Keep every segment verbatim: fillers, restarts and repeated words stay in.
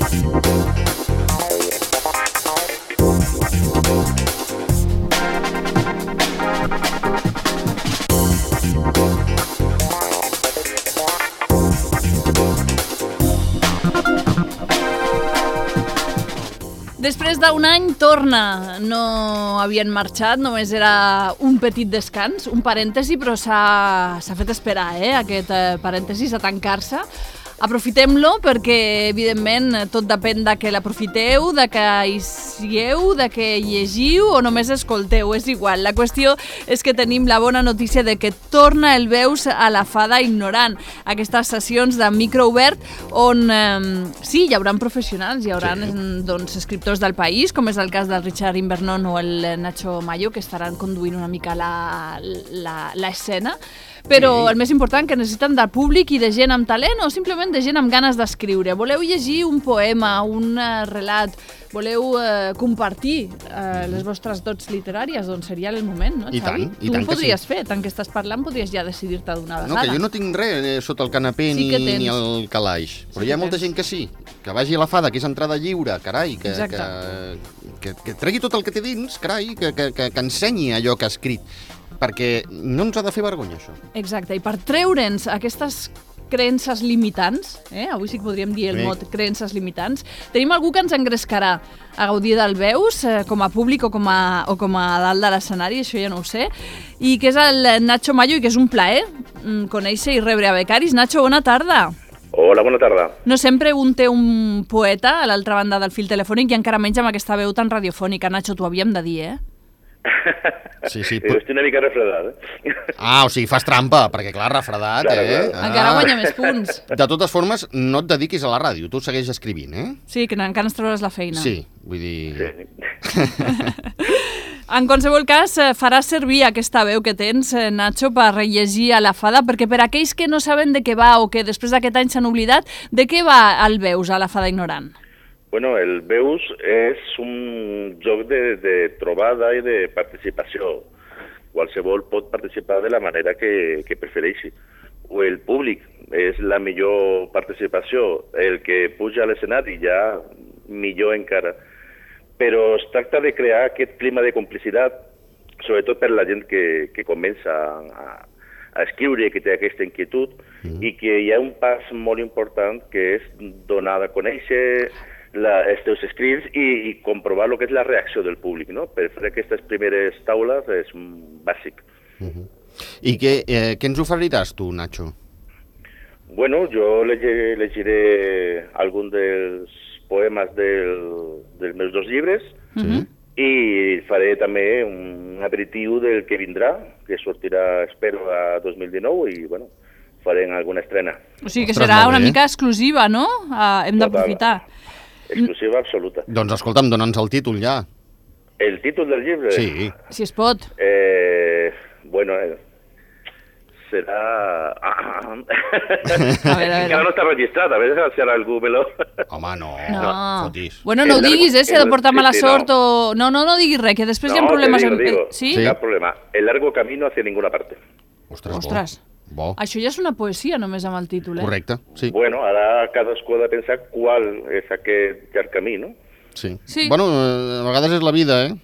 Després d'un any torna, no havien marxat, només era un petit descans, un parèntesi, però s'ha fet esperar, eh, aquest parèntesi, a tancar-se. Aprofitem-lo perquè, evidentment, tot depèn de que l'aprofiteu, de que hi sigueu, de que llegiu o només escolteu, és igual. La qüestió és que tenim la bona notícia de que torna el Veus a la Fada Ignorant, aquestes sessions de micro obert on, eh, sí, hi haurà professionals, hi haurà sí. doncs, escriptors del país, com és el cas del Richard Invernon o el Nacho Mayo, que estaran conduint una mica l'escena. Però sí. El més important, que necessiten de públic i de gent amb talent o simplement de gent amb ganes d'escriure. Voleu llegir un poema, un uh, relat, voleu uh, compartir uh, les vostres dots literàries, doncs seria el moment, no, Xavi? I tant, i tu tant ho podries sí. fer, tant que estàs parlant, podries ja decidir-te d'una vegada. No, que jo no tinc res eh, sota el canapé sí ni, ni el calaix, però sí hi ha molta tens. gent que sí, que vagi a la Fada, que és entrada lliure, carai, que, que, que, que tregui tot el que té dins, carai, que, que, que, que ensenyi allò que ha escrit, perquè no ens ha de fer vergonya, això. Exacte, i per treure'ns aquestes creences limitants, eh? Avui sí que podríem dir el mot creences limitants, tenim algú que ens engrescarà a gaudir del Veus, eh, com a públic o com a, o com a dalt de l'escenari, això ja no ho sé, i que és el Nacho Mayo, i que és un plaer conèixer i rebre a becaris. Nacho, bona tarda. Hola, bona tarda. No sempre un té un poeta a l'altra banda del fil telefònic i encara menys amb aquesta veu tan radiofònica. Nacho, t'ho havíem de dir, eh? Sí, sí. Però estic una mica refredat, eh? Ah, o sigui, fas trampa, perquè clar, refredat, claro, eh? Claro. Ah. Encara guanya més punts. De totes formes, no et dediquis a la ràdio, tu segueix escrivint, eh? Sí, que encara ens trobaràs la feina. Sí, vull dir... Sí. En qualsevol cas, faràs servir aquesta veu que tens, Nacho, per rellegir a la Fada, perquè per aquells que no saben de què va o que després d'aquest any s'han oblidat, de què va el Veus a la Fada Ignorant? Bueno, el Veus és un joc de, de trobada i de participació. Qualsevol pot participar de la manera que, que prefereixi. O el públic és la millor participació. El que puja a l'escenari ja millor encara. Però es tracta de crear aquest clima de complicitat, sobretot per la gent que, que comença a, a escriure, que té aquesta inquietud, mm. i que hi ha un pas molt important que és donar a conèixer La, els teus escrits i, i comprovar el que és la reacció del públic, no? Per fer aquestes primeres taules és bàsic. Uh-huh. I què, eh, què ens oferiràs tu, Nacho? Bueno, jo llegiré, llegiré algun dels poemes del, dels meus dos llibres uh-huh. i faré també un aperitiu del que vindrà, que sortirà, espero, a dos mil dinou i, bueno, farem alguna estrena. O sigui que Ostres, serà una mica exclusiva, no? Uh, hem d'aprofitar. Exclusiva absoluta. Doncs escolta'm, dona'ns el títol ja. El títol del llibre? Sí. Si es pot. Eh, bueno, eh, serà... Ah, a veure, a veure. Encara no està registrat, a veure si ara algú me lo... Home, no, no. no fotis. Bueno, no ho diguis, eh, si ha de portar mala sí, sí, sort no. o... No, no, no diguis res, que després no, hi ha problemes... Digo, digo. ¿Sí? Sí, cap problema. El largo camino hacia ninguna parte. Ostres, Ostres. Bo. Això ja és una poesia, només amb el títol, eh? Correcte, sí. Bueno, ara cadascú ha de pensar qual és aquest llarg camí, no? Sí. sí. Bueno, a vegades és la vida, eh?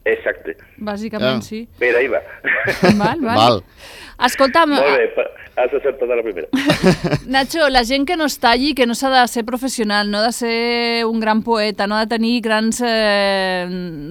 Exacte. Bàsicament, ja. sí. Per ahí va. Val, val. Val. Escolta'm... Molt bé, has acertat a la primera. Nacho, la gent que no es talli, que no s'ha de ser professional, no ha de ser un gran poeta, no ha de tenir grans eh,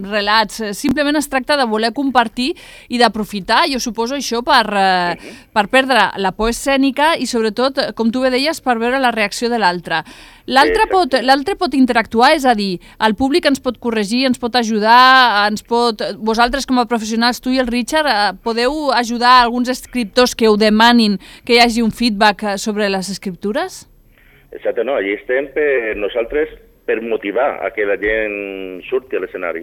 relats, simplement es tracta de voler compartir i d'aprofitar, jo suposo això, per, eh, uh-huh. per perdre la por escènica i sobretot, com tu bé deies, per veure la reacció de l'altre. L'altre pot, l'altre pot interactuar, és a dir, el públic ens pot corregir, ens pot ajudar, ens pot... Vosaltres com a professionals, tu i el Richard, eh, podeu ajudar alguns escriptors que ho demanin que hi hagi un feedback sobre les escriptures? Exacte, no, allí estem per nosaltres per motivar a que la gent surti a l'escenari.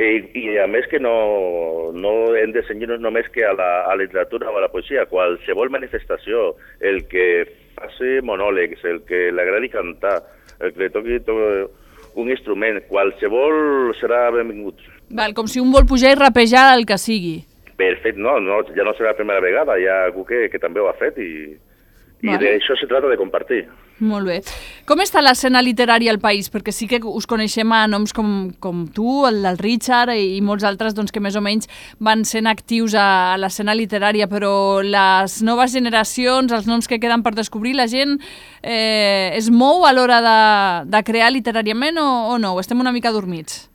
I, i a més que no, no hem de cenyir-nos només que a la, a la literatura o a la poesia, qualsevol manifestació, el que faci monòlegs, el que l'agradi cantar, el que li toqui to un instrument, qualsevol serà benvingut. Val, com si un vol pujar i rapejar el que sigui. Perfecte, no, no, ja no serà la primera vegada, hi ha algú que, que també ho ha fet i, i d'això se trata de compartir. Molt bé. Com està l'escena literària al país? Perquè sí que us coneixem a noms com, com tu, el del Richard i, i molts altres doncs, que més o menys van sent actius a, a l'escena literària, però les noves generacions, els noms que queden per descobrir, la gent eh, es mou a l'hora de, de crear literàriament o, o no? O estem una mica dormits?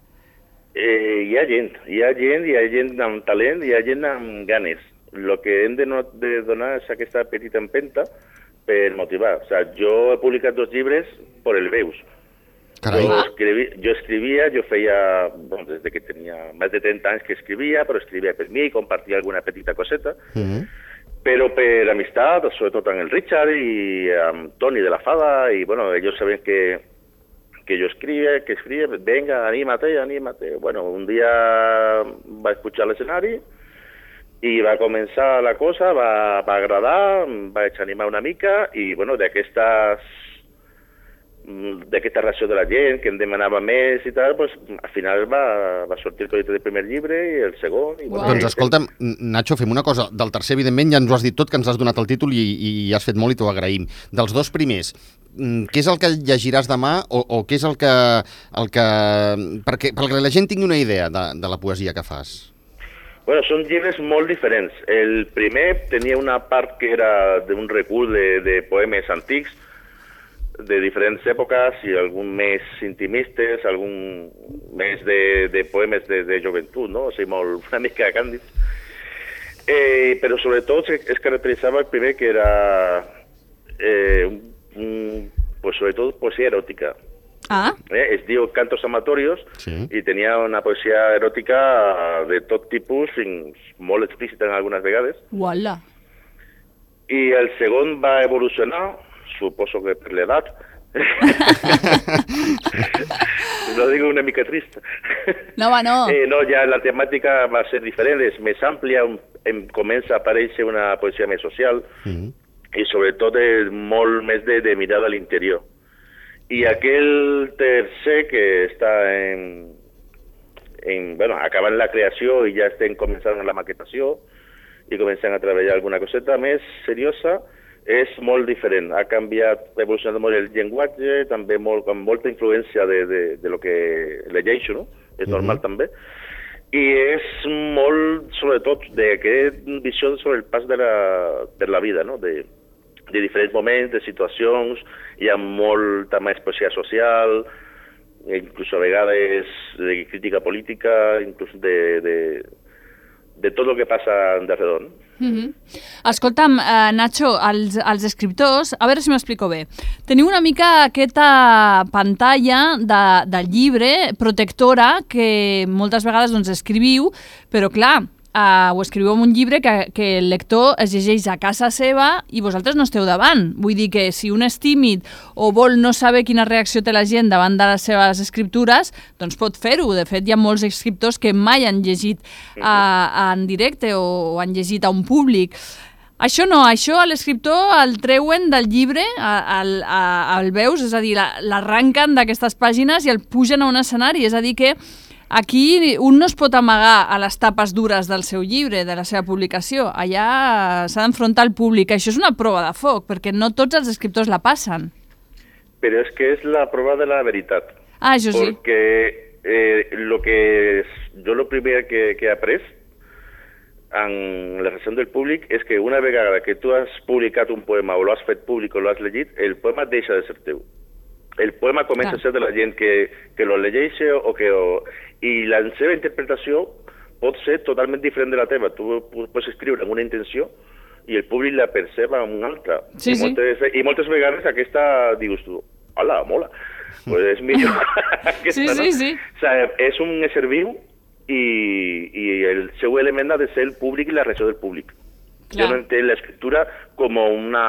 Eh, hi ha gent, hi ha gent, hi ha gent amb talent, hi ha gent amb ganes. El que hem de, no, de donar és aquesta petita empenta per motivar. O sea, jo he publicat dos llibres per el Veus. Carai. Jo, escrivi, jo escrivia, jo feia, bueno, des de que tenia més de trenta anys que escrivia, però escrivia per mi, compartia alguna petita coseta, uh -huh. però per amistat, sobretot amb el Richard i amb Toni de la Fada, i bueno, ells saben que, que jo escrivia, que escrivia, venga, anímate, anímate. Bueno, un dia vaig pujar a l'escenari, i va començar la cosa, va, va agradar, em vaig animar una mica i bueno, d'aquesta d'aquesta reacció de la gent que em demanava més i tal, pues, al final va, va sortir el projecte del primer llibre i el segon. I, bueno, doncs escolta'm, Nacho, fem una cosa. Del tercer, evidentment, ja ens ho has dit tot, que ens has donat el títol i, i has fet molt i t'ho agraïm. Dels dos primers, què és el que llegiràs demà o, o què és el que... El que perquè, perquè la gent tingui una idea de, de la poesia que fas. Bueno, són llibres molt diferents. El primer tenia una part que era d'un recull de, de poemes antics, de diferents èpoques, i algun més intimistes, algun més de, de poemes de, de joventut, no? O sigui, molt, una mica càndids. Eh, però sobretot es caracteritzava el primer que era, eh, un, pues sobretot, poesia eròtica. Ah. Eh, es diu Cantos Amatorios, sí. I tenia una poesia eròtica de tot tipus, fins molt explícita en algunes vegades. Uala. I el segon va evolucionar, suposo que per l'edat. No digo una mica trist. No, va, no. Eh, no, ja la temàtica va ser diferent, és més àmplia, em comença a aparèixer una poesia més social, mm. i sobretot és molt més de, de mirada a l'interior. I aquell tercer que està en, en, bueno, acabant la creació i ja estem començant la maquetació i començant a treballar alguna coseta més seriosa, és molt diferent. Ha canviat, ha evolucionat molt el llenguatge, també molt, amb molta influència de, de, de lo que llegeixo, no? És normal mm-hmm. també. I és molt, sobretot, d'aquesta visió sobre el pas de la, de la vida, no? De, de diferents moments, de situacions, hi ha molta més poesia social, inclús a vegades de crítica política, inclús de, de, de tot el que passa d'alrededor. Mm-hmm. Escolta'm, eh, Nacho, els, els escriptors, a veure si m'explico bé, teniu una mica aquesta pantalla de, del llibre protectora que moltes vegades doncs, escriviu, però clar, Uh, ho escriviu en un llibre que, que el lector es llegeix a casa seva i vosaltres no esteu davant. Vull dir que si un és tímid o vol no saber quina reacció té la gent davant de les seves escriptures, doncs pot fer-ho. De fet, hi ha molts escriptors que mai han llegit uh, en directe o, o han llegit a un públic. Això no, això a l'escriptor el treuen del llibre, el, el veus, és a dir, l'arranquen d'aquestes pàgines i el pugen a un escenari, és a dir que aquí un no es pot amagar a les tapes dures del seu llibre, de la seva publicació. Allà s'ha d'enfrontar al públic. Això és una prova de foc, perquè no tots els escriptors la passen. Però és que és la prova de la veritat. Ah, això sí. Perquè eh, lo que es, jo lo primer que, que he après en la reacció del públic és que una vegada que tu has publicat un poema o l'has fet públic o l'has llegit, el poema deixa de ser teu. El poema comença Clar. a ser de la gent que, que lo llegeix o que... O, i la seva interpretació pot ser totalment diferent de la teva. Tu pots escriure amb una intenció i el públic la perceba amb una altra. Sí, I, moltes, sí. I moltes vegades aquesta dius tu, hola, mola, pues és millor aquesta, sí, sí, sí. No? O sea, és un ésser viu i, i el seu element ha de ser el públic i la reacció del públic. Clar. Jo no entenc l'escriptura com una...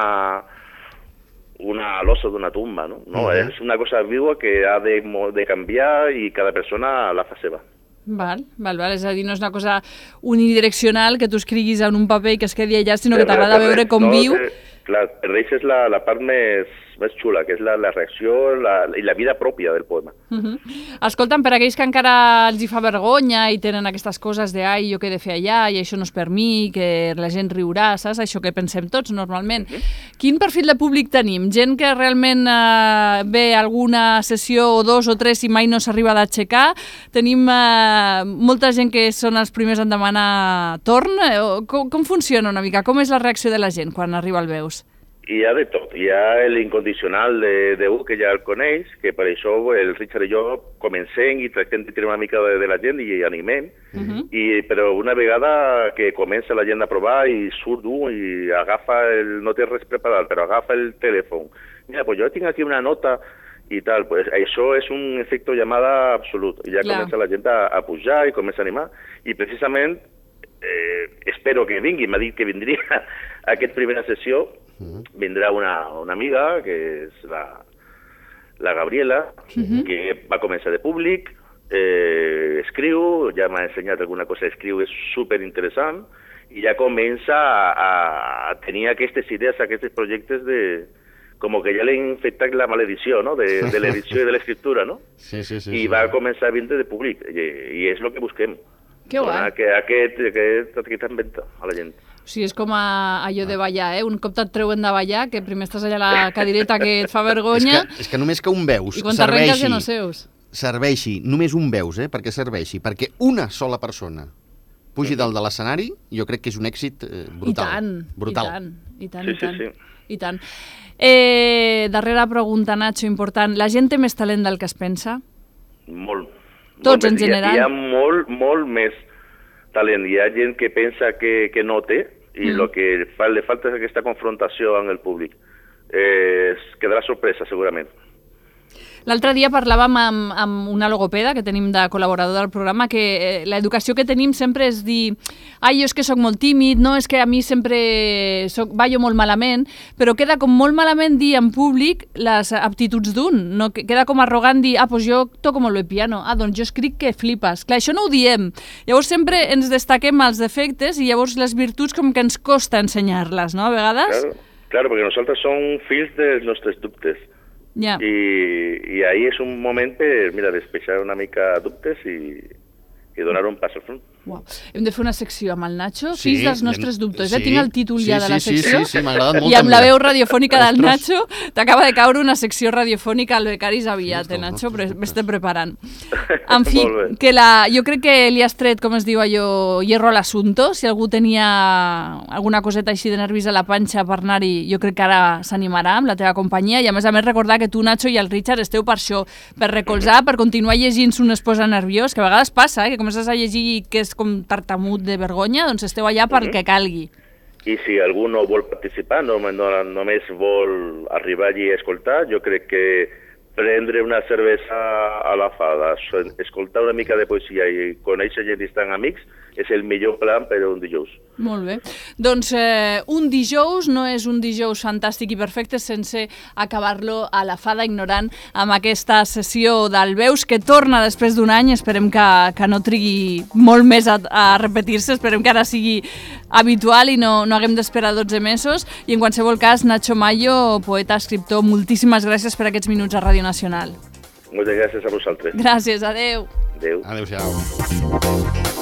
una losa d'una tumba, no? No, uh-huh. És una cosa viva que ha de, de canviar i cada persona la fa seva. Val, val, val, és a dir, no és una cosa unidireccional que tu escriguis en un paper i que es quedi allà, sinó que t'agrada veure com no, viu. Que, Clar, perdeix és la, la part més, més xula, que és la, la reacció la, i la vida pròpia del poema. Uh-huh. Escolta'm, per aquells que encara els hi fa vergonya i tenen aquestes coses de ai, jo què he de fer allà, i això no és per mi, que la gent riurà, saps? Això que pensem tots normalment. Uh-huh. Quin perfil de públic tenim? Gent que realment eh, ve alguna sessió o dos o tres i mai no s'arriba d'aixecar? Tenim eh, molta gent que són els primers en demanar torn? Com, com funciona una mica? Com és la reacció de la gent quan arriba al Veus? Hi ha de tot. Hi ha l'incondicional de, de un que ja el coneix, que per això el Richard i jo comencem i tractem de tirar una mica de, de la gent i animem, uh-huh. i, però una vegada que comença la gent a provar i surt un i agafa, el, no té res preparat, però agafa el telèfon. Mira, pues jo tinc aquí una nota i tal, pues això és un efecte llamada absolut. I ja Clar. Comença la gent a, a pujar i comença a animar, i precisament eh, espero que vingui, m'ha dit que vindria a aquesta primera sessió. Uh-huh. Vindrà una, una amiga, que és la, la Gabriela, uh-huh. que va començar de públic, eh, escriu, ja m'ha ensenyat alguna cosa d'escriu, és superinteressant, i ja comença a, a tenir aquestes idees, aquests projectes de... com que ja l'he infectat la maledició, no?, de, de l'edició i de l'escriptura, no? Sí, sí, sí. I sí. va començar a vindre de públic, i, i és el que busquem. Que guai. Que aquest, aquest, aquest inventa a la gent. O sigui, és com a, allò de ballar, eh? Un cop te't treuen de ballar, que primer estàs allà a la cadireta que et fa vergonya... És que, és que només que un veus i quan t'arrenques ja no seus. Serveixi, només un veus, eh? Perquè serveixi, perquè una sola persona pugi dalt de l'escenari, jo crec que és un èxit eh, brutal. I tant, brutal. i tant, i tant, sí, i tant. Sí, sí. I tant. Eh, darrera pregunta, Nacho, important. La gent té més talent del que es pensa? Molt. Tots, molt en general? Hi ha, hi ha molt, molt més talent. Hi ha gent que pensa que, que no té, i el mm. que fa, li falta és aquesta confrontació amb el públic. Eh, quedarà sorpresa, segurament. L'altre dia parlàvem amb, amb una logopeda que tenim de col·laborador del programa, que eh, l'educació que tenim sempre és dir ai, jo és que sóc molt tímid, no, és que a mi sempre soc, ballo molt malament, però queda com molt malament dir en públic les aptituds d'un, no? Queda com arrogant dir, ah, doncs jo toco molt bé piano, ah, doncs jo escric que flipes. Clar, això no ho diem. Llavors sempre ens destaquem els defectes i llavors les virtuts com que ens costa ensenyar-les, no, a vegades? Claro, claro, perquè nosaltres som fills dels nostres dubtes. Yeah. I, i ahir és un moment per, mira, despejar una mica dubtes i, i donar un pas al front. Wow. Hem de fer una secció amb el Nacho, sí, fills dels nostres dubtes. Sí, ja tinc el títol sí, ja de la sí, secció. Sí, sí, sí, m'ha agradat molt. I amb també. la veu radiofònica del Ostres. Nacho t'acaba de caure una secció radiofònica al Becaris aviat, eh, Nacho, però m'estem preparant. En fi, que la, jo crec que li has tret, com es diu allò, hierro a l'assumpto. Si algú tenia alguna coseta així de nervis a la panxa per anar-hi, jo crec que ara s'animarà amb la teva companyia. I a més a més recordar que tu, Nacho, i el Richard esteu per això, per recolzar, per continuar llegint si un es posa nerviós, que a vegades passa, eh, que comences a llegir que és com tartamut de vergonya, doncs esteu allà pel que calgui. I si algú no vol participar, no, no, només vol arribar allí a escoltar, jo crec que prendre una cervesa a la fada, escoltar una mica de poesia i conèixer gent i estar amics és el millor plan per un dijous. Molt bé. Doncs eh, un dijous no és un dijous fantàstic i perfecte sense acabar-lo a la fada ignorant amb aquesta sessió del Veus que torna després d'un any. Esperem que, que no trigui molt més a, a repetir-se, esperem que ara sigui habitual i no, no haguem d'esperar dotze mesos. I en qualsevol cas, Nacho Mayo, poeta, escriptor, moltíssimes gràcies per aquests minuts a Ràdio Nacional. Moltes gràcies a vosaltres. Gràcies, adeu. Adeu. Adéu-siau.